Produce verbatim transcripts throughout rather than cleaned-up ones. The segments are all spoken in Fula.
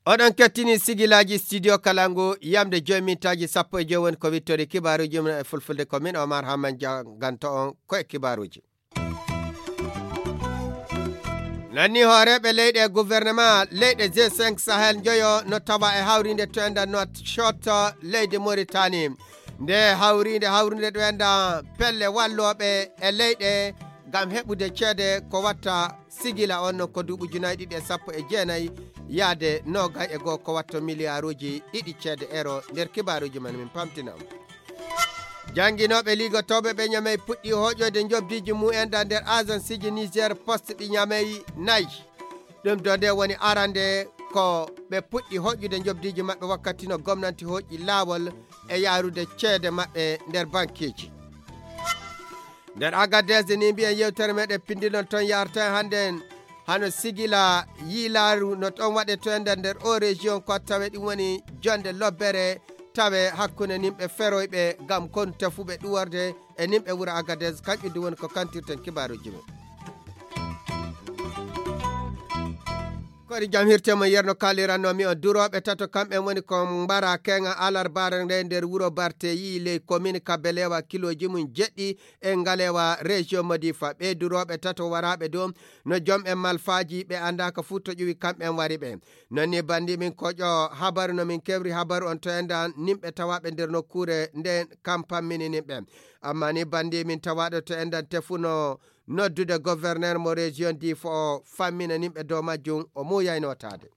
Oɗon kettini sigilaaji studio Kalangu, yamde joyi mintaaji sappo e joyi woni ko wittori kibaaruuji mum e fulfulde. Ko min Omar Hamman janganto on ko e kibaaruuji. Nanni hooreeɓe leyɗe e gouvernement leyɗe G cinq Sahel njoyo no tawa e hawrinde to enda Nouakchott, leydi Mauritanie. Nde hawrinde, hawrinde ɗo enda pelle wallooɓe e leyɗe ngam heɓude ceede ko watta sigila on non ko duuɓi ujunaaji ɗiɗi e sappo e jeenayi yaade noogay e goo ko watto miliyaaruuji ɗiɗi ceede euro. Nder kibaaruuji men min pamtina on. Jannginooɓe ligotooɓe ɓe Ñamey puɗɗi hooƴoyde njobdiiji mumen ɗa nder agenceeji Niger Post ɗi Ñamey nayi. Ɗum ɗo nde woni arande ko ɓe puɗɗi hoƴƴude njobdiiji maɓɓe wakkati no gomnanti hoƴƴi laawol e yaarude ceede maɓɓe nder bankeeji. Nder Agadez ni mbiyen yewtere meɗen pinndinol toon yarta en hannde en hano sigila yiilaaru no ɗon waɗe to ender nder o région ko tawe ɗum woni jonde lobbere tawe hakkunde nimɓe feroyɓe ngam kon tefuɓe ɗuworde e nimɓe wuro Agadez. Kanƴum ɗum woni ko kantirten kibaaruuji men. Kori jam hirte mo yerno kaliranno mi on durooɓe tato kamɓe woni ko mbara kenga alarbaare nde nder wuro barteyi ley commune kabelewa kiloji mum jeɗɗi e ngalewa région modifa ɓe durooɓe tato waraaɓe dow no jom en malfaaji ɓe anndaaka fuu to ƴuwi kamɓe wari ɓe. Non ni banndi min koƴo habaru no min kewri habaru on to endan nimɓe tawaaɓe nder nokkuure nden kam pammini nimɓe. Amma ni banndi min tawaaɗo to endan tefuno noddude gouverneur mo région difo o fammina nimɓe dow majjum o muuyay nootaade.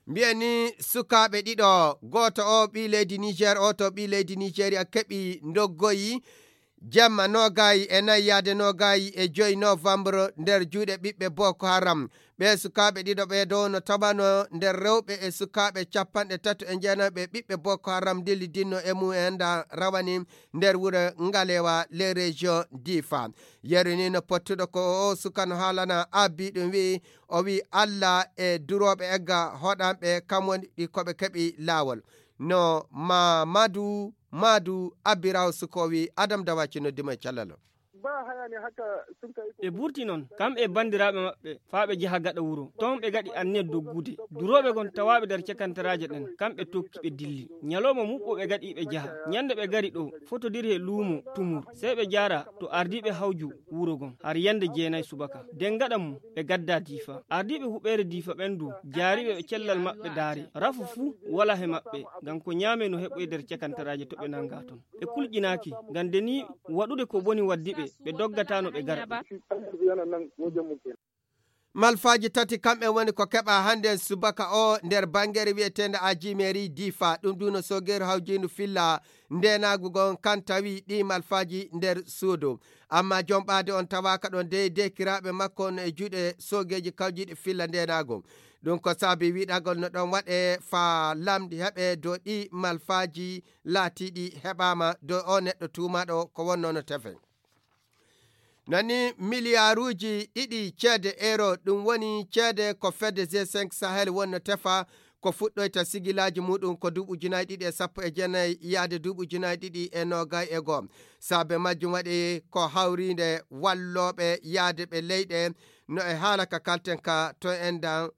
Mbiyen ni sukaaɓe ɗiɗo, gooto o ɓii leydi Niger, o to ɓii leydi Nigeria keɓi ndoggoyi jemma noogayi e nayi yaade noogayi e joyi novembre nder juuɗe ɓiɓɓe Boko Haram. Ɓee sukaaɓe ɗiɗo ɓee dow no tawano nder rewɓe e sukaaɓe capanɗe tato e jeenayi ɓe ɓiɓɓe Boko Haram dillidinno e mum en da rawani nder wuro Ngalewa les régions Difa. Yeru ni no pottuɗo ko o suka no haalana abbi ɗum wi'i o wi'i Allah e durooɓe egga hoɗanɓe kam woni ɗi ko ɓe keɓi laawol. No Mamadu Madu Abiraw suko wi'i Adam Dawaci noddi mo e callalo. Ba hayani haka sun kai. Ɓe burti noon, kam e banndiraaɓe maɓɓe, faa ɓe njaha gaɗa wuro. Toon ɓe ngaɗi anniya doggude. Durooɓe gon tawaaɓe nder cakantaraaje ɗen, kam ɓe tokki ɓe dilli. Ñalawma muɓɓo ɓe ngaɗi ɓe njaha. Ñande ɓe ngari ɗo, fotodiri he luumo Tumur. Sey ɓe njaara to ardiiɓe hawju wuro gon, har yande jeenay subaka. Den gaɗa mum, ɓe gadda Diifa. Ardiiɓe huɓeere Diifa ɓen du, jaariiɓe ɓe cellal maɓɓe daare. Rafu fuu wala he maɓɓe, ngam ko ñaame no heɓoy nder cakantaraaje to ɓe nanga toon. Ɓe kulƴinaaki, ngam de ni waɗude ko boni waddi ɓe, ɓe doggataano ɓe gara. Malfaaji tati kamɓe woni ko keɓa hannde subaka o nder banngere wi'eteende Ajimeeri Difa. Ɗum ɗum no soogeeru hawjiindu filla ndeenaagu gon kan tawi ɗi malfaaji nder suudu. Amma jom ɓaade on tawaaka ɗon dey dekiraaɓe makko on e juuɗe soogeeji kawjiiɗi filla ndeenaagu. Ɗum ko saabi wiɗagol no ɗon waɗe faa lamɗi heɓe dow ɗi malfaaji laatiiɗi heɓaama dow o neɗɗo tuumaaɗo ko wonno no tefe. Nani miliyaaruuji ɗiɗi ceede euro, ɗum woni ceede ko fedde G cinq Sahel wonno tefa, ko fuɗɗoyta sigilaaji muuɗum ko duuɓi ujunaaji ɗiɗi e sappo e jeenayi yaade duuɓi ujunaaji ɗiɗi e noogay e goo. Saabe majjum waɗi ko hawriinde wallooɓe yaade ɓe leyɗe no e haala ka kalten ka to endan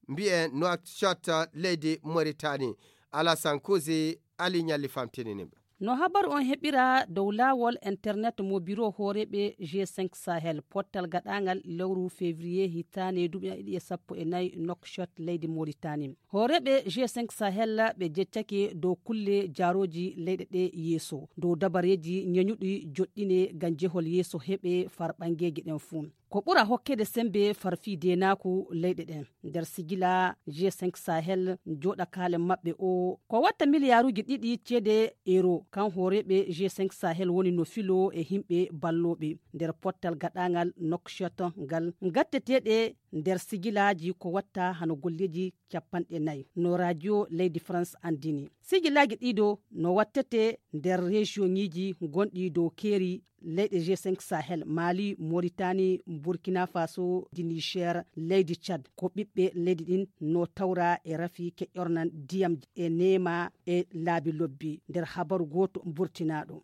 mbi'en Nouakchott leydi Mauritanie. Alassane Kuzi, Ali Ñalli famtinini ɓe. No habaru on heɓira dow laawol internet mo biro hooreeɓe G cinq Sahel, pottal gaɗaangal lewru février hitaande duuɓi ɗiɗi e sappo e nayi Nouakchott leydi Mauritanie. Hooreeɓe G cinq Sahel ɓe jeccake dow kulle jaarooji leyɗe ɗe yeeso, dow dabareeji ñeñuɗi joɗɗine ngam jehol yeeso heɓe far ɓangeeji ɗen fuu. Ko ɓura hokkede sembe far fii deenaaku leyɗe ɗen. Nder sigila G cinq Sahel jooɗa kaalen maɓɓe o, ko watta miliyaaruuji ɗiɗi ceede euro, kan hooreeɓe G cinq Sahel woni no filoo e himɓe ballooɓe nder pottal gaɗaangal Nouakchott ngal, gatteteeɗe nder sigilaaji ko watta hano golleeji capanɗe nayi, no radio leydi France anndini. Sigilaaji ɗiɗo no wattete nder rejiyoŋiiji gonɗi dow keeri leyɗe g cinq sahel, mali, moritani, burkina faso, di niger, leydi tchad, ko ɓiɓɓe leydi ɗin no tawra e rafi keƴornan ndiyam e neema e laabi lobbi. Nder habaru gooto burtinaɗo.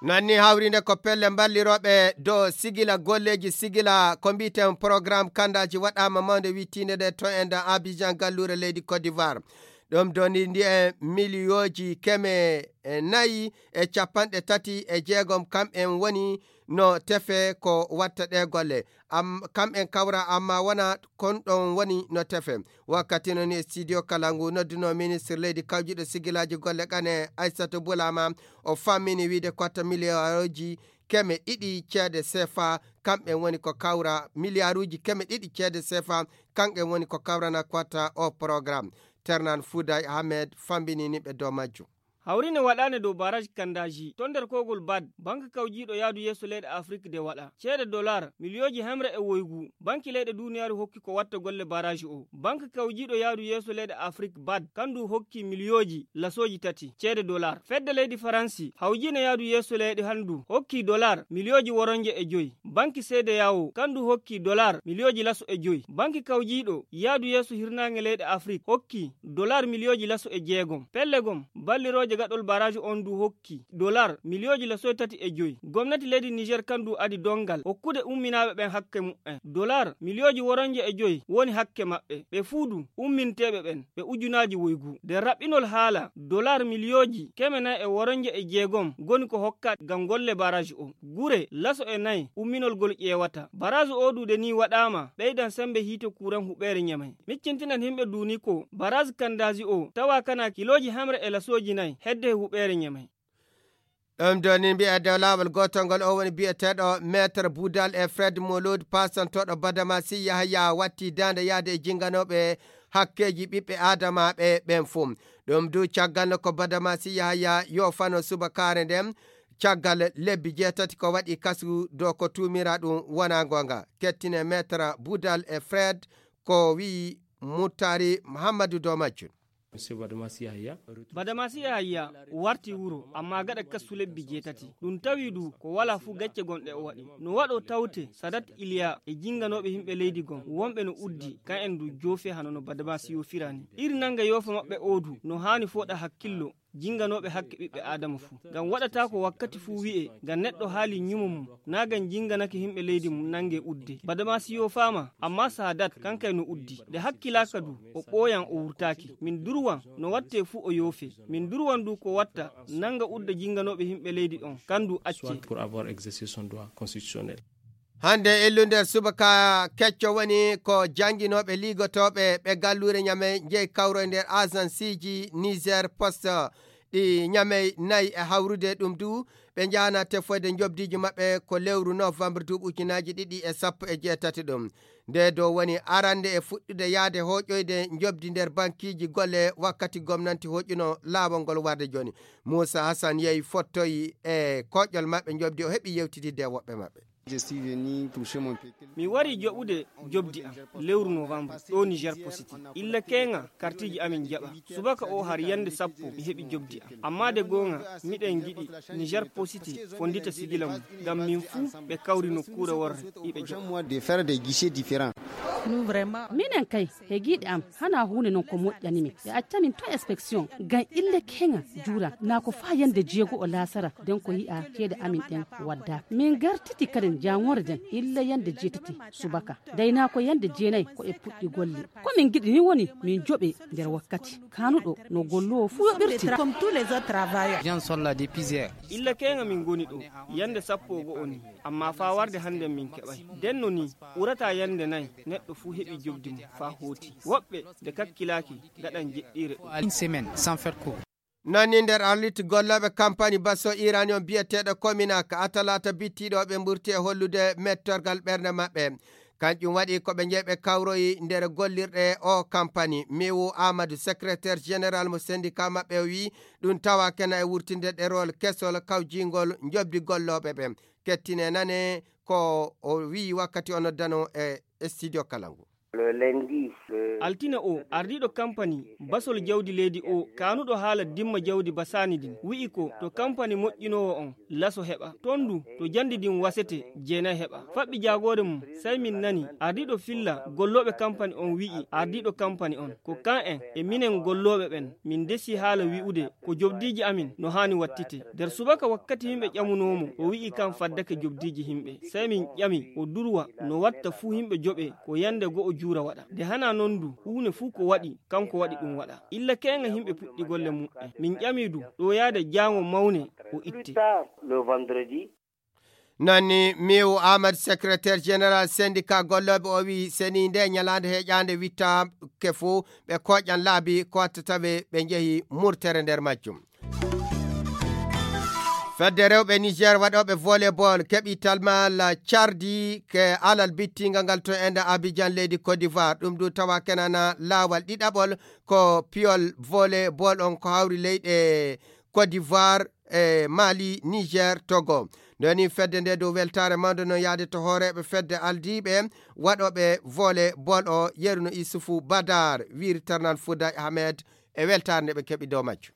Nanni hawrinde ko pelle mballirooɓe dow sigila golleeji sigila ko mbiyeten programme kanndaaji waɗaama mawnde wittiinde nde to enda abijan galluure leydi côte d'ivoire. Ɗum doni ndi e miliyooji keme e nayi e capanɗe tati e jeegom kam en woni no tefe ko watta ɗe golle. Kam en kawra amma wona kon ɗon woni no tefe. Wakkati non e studio kala ngu nodduno ministre leydi kawjuɗo sigilaji golle qane aissata bulama, o fammini wiide kotta miliyaaruji keme ɗiɗi ceede sefa. Kamɓen woni ko kawra miliyaaruji keme ɗiɗi ceede sefa. Kamɓen woni ko kawrana kotta o programme. Ternan fouday ahmed fambinini ɓe dow majjum. Hawri ne waɗaane dow baraaji kandaaji to nder kowgol bad banka kawjiiɗo yaadu yeeso leyɗe afrik de waɗa ceede dolar miliyooji hemre e woygu. Banki leyɗe duuniyaaru hokki ko watta golle baraaji o banka kawjiiɗo yaadu yeeso leyɗe afrik bad kandu hokki miliyooji lasooji tati ceede dolar. Fedde leydi faransi hawjiino yaadu yeeso leyɗe handu hokki dolar miliyooji woronje e joyi. Banki seede yawo kandu hokki dolar miliyooji laso e joyi. Banki kawjiiɗo yaadu yeeso hirnaange leyɗe afrik hokki dolar miliyooji laso e jeegom. Pelle gom ballirooje gaɗol baraaji on du hokki dolar miliyooji laso e tati e joyi. Gomnati leydi niger kandu adi dongal hokkude umminaaɓe ɓen hakke muɓɓen dolar miliyooji woronje e joyi woni hakke maɓɓe. Ɓe fuu du umminteeɓe ɓen ɓe ujunaaji woygu. Nder raɓɓinol haala dolar miliyooji keme nayi e woronje e jeegom goni ko hokka ngam golle baraaji o. Gure laso e nayi umminol gol ƴeewata baraaji o duude ni waɗaama ɓeydan sembe hiite kuran huɓeere ñamay. Miccintinan himɓe duuni ko baraaji kandaaji o tawa kana kilooji hemre e lasooji nayi hedde e huɓeere ñamay. Ɗum doni mbiya dow laawol gootol ngol o woni biyeteeɗo maître boudal e fred molod pasantoɗo badamasi yahaya watti daande yaade e jinganooɓe hakkeeji ɓiɓɓe aadamaaɓe ɓen fof. Ɗum du caggal no ko badamasi yahaya yofano subakaare nden caggal lebbi jeetati ko waɗi kasu dow ko tuumira ɗum wona goonga. Kettine maître boudal e fred ko wi'i muttari muhammadu dow majjum. Monsieur badamasi yahaya. Badamasi yahaya warti wuro amma gaɗa kasu lebbi jeetati. Ɗum tawi du ko wala fuu gacce gonɗe o waɗi no waɗo tawte sadat iliya e jinganooɓe yimɓe leydi gon wonɓe no uddi kan en du joofe hano no badamasi yofirani. Iri nanga yoofa maɓɓe o du no haani fooɗa hakkillo jinganooɓe hakke ɓiɓɓe aadama fuu. Ngam waɗata ko wakkati fuu wi'e ngam neɗɗo haali ñumo mum naa ngam jinganake yimɓe leydi mum nange udde. Badamasi yoofaama amma sadat kankay no uddi nde hakkilaaka du o ɓooyan o wurtaaki. Min durwan no watte fuu o yoofe. Min durwan du ko watta nanga udda jinganooɓe yimɓe leydi on kandu acce. Pour avoir exercé son droit constitutionnel. Hannde illu nder subaka kecco woni ko jannginooɓe liigotooɓe ɓe galluure ñamey njeyi kawroy nder agenceeji niger poste ɗi ñamey nayi e hawrude ɗum du ɓe njahana tefoyde njoɓdiiji maɓɓe ko lewru novembre duuɓi ujunaaji ɗiɗi e sappo e jeetati ɗum. Nde dow woni arande e fuɗɗude yahde hooƴoyde njoɓdi nder bankiiji golle wakkati gomnanti hooƴuno laawol ngol warde jooni. Muusa hasan yehi fottoyi e koƴol maɓɓe njoɓdi o heɓi yewtididde e woɓɓe maɓɓe. Mi wari joɓude jobdi am lewru novembre ɗo niger positi illa keŋa kartiji amin jaɓa. Subaka o har yande sappo mi heɓi jobdi am amma de goŋa miɗen giɗi niger positi fondita sigila mum ngam min fuu ɓe kawri nokkuure worre iɓe jaɓa. Minen kay hegiiɗe am hana huunde non ko moƴƴani min ɓe acca min to inspection ngam ille keŋa juura naa ko faa yande jeego o laasara nden ko yi'a ceede amin ɗen waddaaka min gartiti kaden jaaŋoore nden illa yande jeetati subaka dey naa ko yande jeenay ko e puɗɗi golle. Ko min ngiɗi ni woni min joɓe nder wakkati kaanuɗo no golloowo fuu yoɓirti. Illa keŋa min ngoni ɗo yande sappo e go'o ni amma faa warde hannden min keɓay ndenno ni ɓurata yande nay neɗɗo fuu heɓi jobdi mum faa hooti. Woɓɓe nde kakkilaaki ngaɗan jeɗɗiire ɗum. Une semaine sans faire cours. Nani nder arlit gollooɓe kampani basso iranion biyeteeɗo kominak atalata bittiiɗo ɓe mburti e hollude mettorgal ɓernde maɓɓe. Kanƴum waɗi ko ɓe njeyi ɓe kawroyi nder gollirɗe o kampani miwu amadou secrétaire général mo syndicat maɓɓe o wi ɗum tawa kena e wurtinde ɗerowol kesol kawjingol njoɓdi gollooɓe ɓe. Kettine nane ko o wi wakkati o noddano e studio kala ngu. Altine o, ardiiɗo kampani basol jawdi leydi o, kaanuɗo haala dimma jawdi basaani din, wi'i ko to kampani moƴƴinoowo on laso heɓa. Ton du, to jandi din wasete, jeenay heɓa. Faɓɓi jaagoore mum, sey min nani ardiiɗo filla gollooɓe kampani on wi'i ardiiɗo kampani on, ko kan en e minen gollooɓe ɓen, min desi haala wi'ude ko jobdiiji amin no haani wattite. Nder subaka wakkati yimɓe ƴamunoo mo, o wi'i kan faddake jobdiiji yimɓe. Sey min ƴami, o durwa no watta fuu yimɓe joɓee, ko yande go'o juura waɗa. Nde hana non du, huune fuu ko waɗi, kanko waɗi ɗum waɗa. Illa keeŋa yimɓe puɗɗi golle muɓɓen. Min ƴami du, ɗo yaade jaango mawne, o itte. Nani Miw Ahmad, secrétaire général syndicat gollooɓe o, wi seni nde ñalaande heƴaande wittaake fof, ɓe koƴan laabi ko wattata ɓe, ɓe njehi murtere nder majjum. Fedde rewɓe Niger waɗooɓe volleyball keɓi talmal cardi ke alal bittingal ngal to enda Abidjan, leydi Côte d'Ivoire. Ɗum du tawa kenana laawal ɗiɗaɓol ko piyol volleyball on ko hawri leyɗe Côte d'Ivoire, e Mali, Niger, Togo. Nde woni fedde nde dow weltaare mawde noon yaade to hooreeɓe fedde aldiiɓe waɗooɓe volleyball o, yeruno Isufu Badar, wiiri Tarnan Fouda Ahmed e weltaare nde ɓe keɓi dow majjum.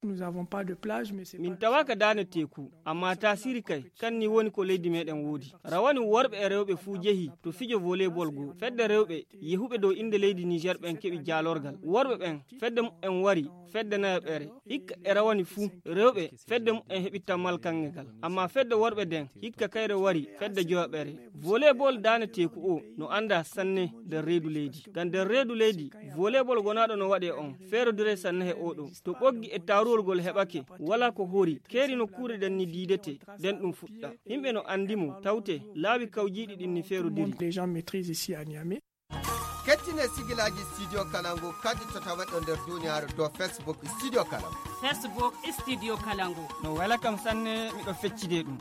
Nous avons pas de plage, mais c'est min pas tawaaka daane teeku, amma taasiri kay, kan ni woni ko leydi meɗen woodi. Rawani worɓe e rewɓe fuu jehi to fijo volleyball goo. Fedde rewɓe yehuɓe dow innde leydi Niger ɓen keɓi jaalorgal. Worɓe ɓen, fedde muɓɓen wari, fedde nayaɓere. Hikka e rawani fuu, rewɓe, fedde muɓɓen heɓi tammal kaŋŋe gal. Amma fedde worɓe den, hikka kayre wari, fedde joyaɓere. Volleyball daane teeku o no anndaa sanne nder reedu leydi. Ngam nder reedu leydi, volleyball wonaaɗo no waɗee on, feerodiree sanne he oo ɗoo. To ɓoggi e taaruwol ngol heɓake, walaa ko hori, keeri nokkuure ɗen ni diidete, nden ɗum fuɗɗa. Yimɓe no anndi mo, tawte, laawi kawjiiɗi ɗin ni feerodiri. Les gens maîtrisent ici à Niamey. Kettine sigilaaji Studio Kalangu kadi to tawa ɗo nder duniyaaru dow Facebook Studio Kalangu. Facebook Studio Kalangu. No wela kam sanne, miɗo feccide ɗum.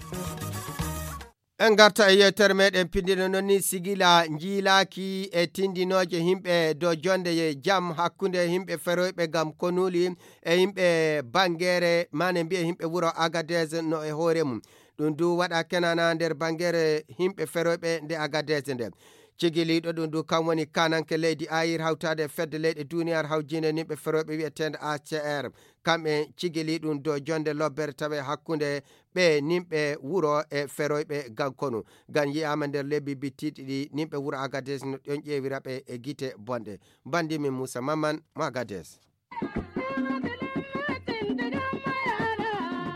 En ngarta e yewtere meɗen pindino non ni sigila njiilaaki e tindinooje yimɓe dow jonde e jam hakkunde yimɓe feroyɓe ngam konuuli e yimɓe bangeere mane mbiye yimɓe wuro Agadez no e hoore mum. Ɗum du waɗa kenana nder bangeere yimɓe feroyɓe nde Agadez nde. Cigiliiɗo ɗum du kam woni kananke leydi Ayir hawtaade e fedde leyɗe duniyaaru hawjinde yimɓe feroyɓe wi'eteende A C R. Kamɓe cigili ɗum dow jonde lobbere tawe hakkunde ɓe nimɓe wuro e feroyɓe gankonu. Ngam yi'aama nder lebbi bittiɗi ɗi nimɓe wuro Agadez no ɗon ƴeewira ɓe e gite bonɗe. Bandi min Moussa Maman mo Agadez.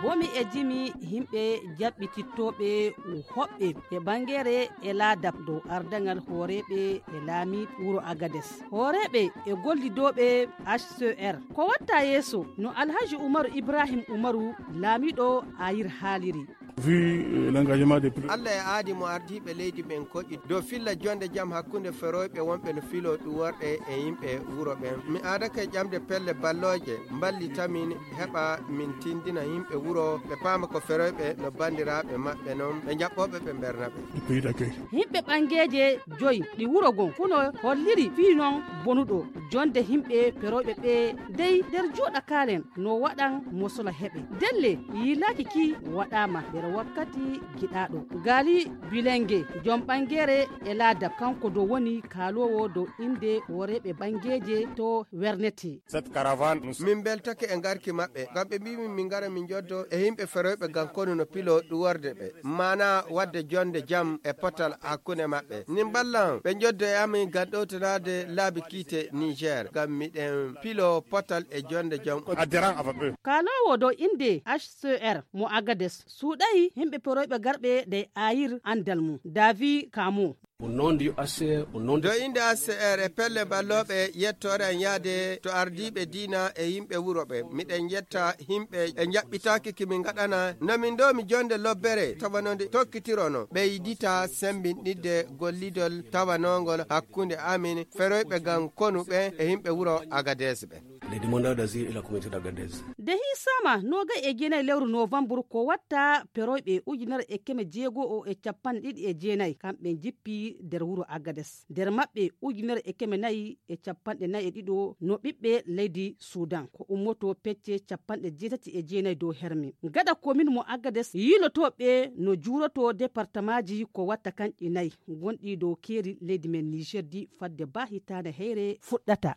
Bomi e jimi yimɓe jaɓɓitittooɓe hoɓɓe e bangeere e laadab dow ardaŋal hooreeɓe e laamiiɗo wuro Agades. Hooreeɓe e gollidooɓe H C R. Ko watta yeeso no Alhaji Umaru Ibrahim Umaru, laamiiɗo Ayir haaliri. Vu, euh, l'engagement des plus- Allah e aadi mo ardiiɓe leydi ɓen koƴi dow filla jonde jam hakkunde feroyɓe wonɓe no filo ɗuworɗe e yimɓe wuro ɓen. Mi aadake ƴamde pelle ballooje mballitamin heɓa min tindina yimɓe wuro ɓe paama ko feroyɓe no bandiraaɓe maɓɓe non ɓe jaɓɓooɓe ɓe mberna ɓe. Du pays d'accueil. Yimɓe ɓangeeje joyi ɗi wuro gon kuno holliri fii non bonuɗo jonde yimɓe feroyɓe ɓe dey nder juuɗa kaalen no waɗan mosola heɓe. Delle yiilaaki ki waɗaama nder wakkati giɗaaɗo. Gaali Bilenge, jom ɓangeere e laadab, kanko do woni kaaloowo dow innde hooreeɓe ɓangeeje to Wernete. Cette caravane, nous- Min mbeltake e ngarki maɓɓe, ngam ɓe mbii min min ngara min njoddo e yimɓe feroyɓe ngam konu no pilo ɗuworde ɓe. Maana waɗde jonde jam e potal hakkunde maɓɓe. Min mballan ɓe njoddo e amin ngam ɗowtanaade laabi kiite Niger, ngam miɗen pilo potal e jonde jam. Adhérent avec eux. Kaaloowo dow innde H C R mo Agades suuɗay yimɓe feroyɓe garɓe de Ayir anndal mum. Davi Kamo. Au nom du H C R, au nom de- Dow innde H C R e pelle ballooɓe yettoore an yaade to ardiiɓe diina e yimɓe wuro ɓe. Miɗen yetta yimɓe e njaɓɓitaaki ki min ngaɗana no min ndoomi jonde lobbere tawa no nde tokkitirono. Ɓeydita sembinɗidde gollidol tawanoongol hakkunde amin feroyɓe ngam konu ɓe e yimɓe wuro Agades ɓe. Des demandeurs d'asile et la communauté d'Agadez. Nde hiisaama noogay e jeenay lewru novembre ko watta peroyɓe ujunere e keme jeego o e capanɗe ɗiɗi e jeenay kamɓe njippi nder wuro Agades. Nder maɓɓe ujunere e keme nayi e capanɗe nayi e ɗiɗo no ɓiɓɓe leydi Sudan, ko ummoto pecce capanɗe jeetati e jeenay dow herme. Gaɗa komin mo Agades yiilotooɓe no juuroto departamaaji ko watta kanƴi nayi gonɗi dow keeri leydi men Niger di fadde ba hitaande heyre fuɗɗata.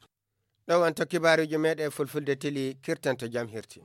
Ɗo wonto kibaaruuji meeɗen fulfulde tili kirtanto jam hirti.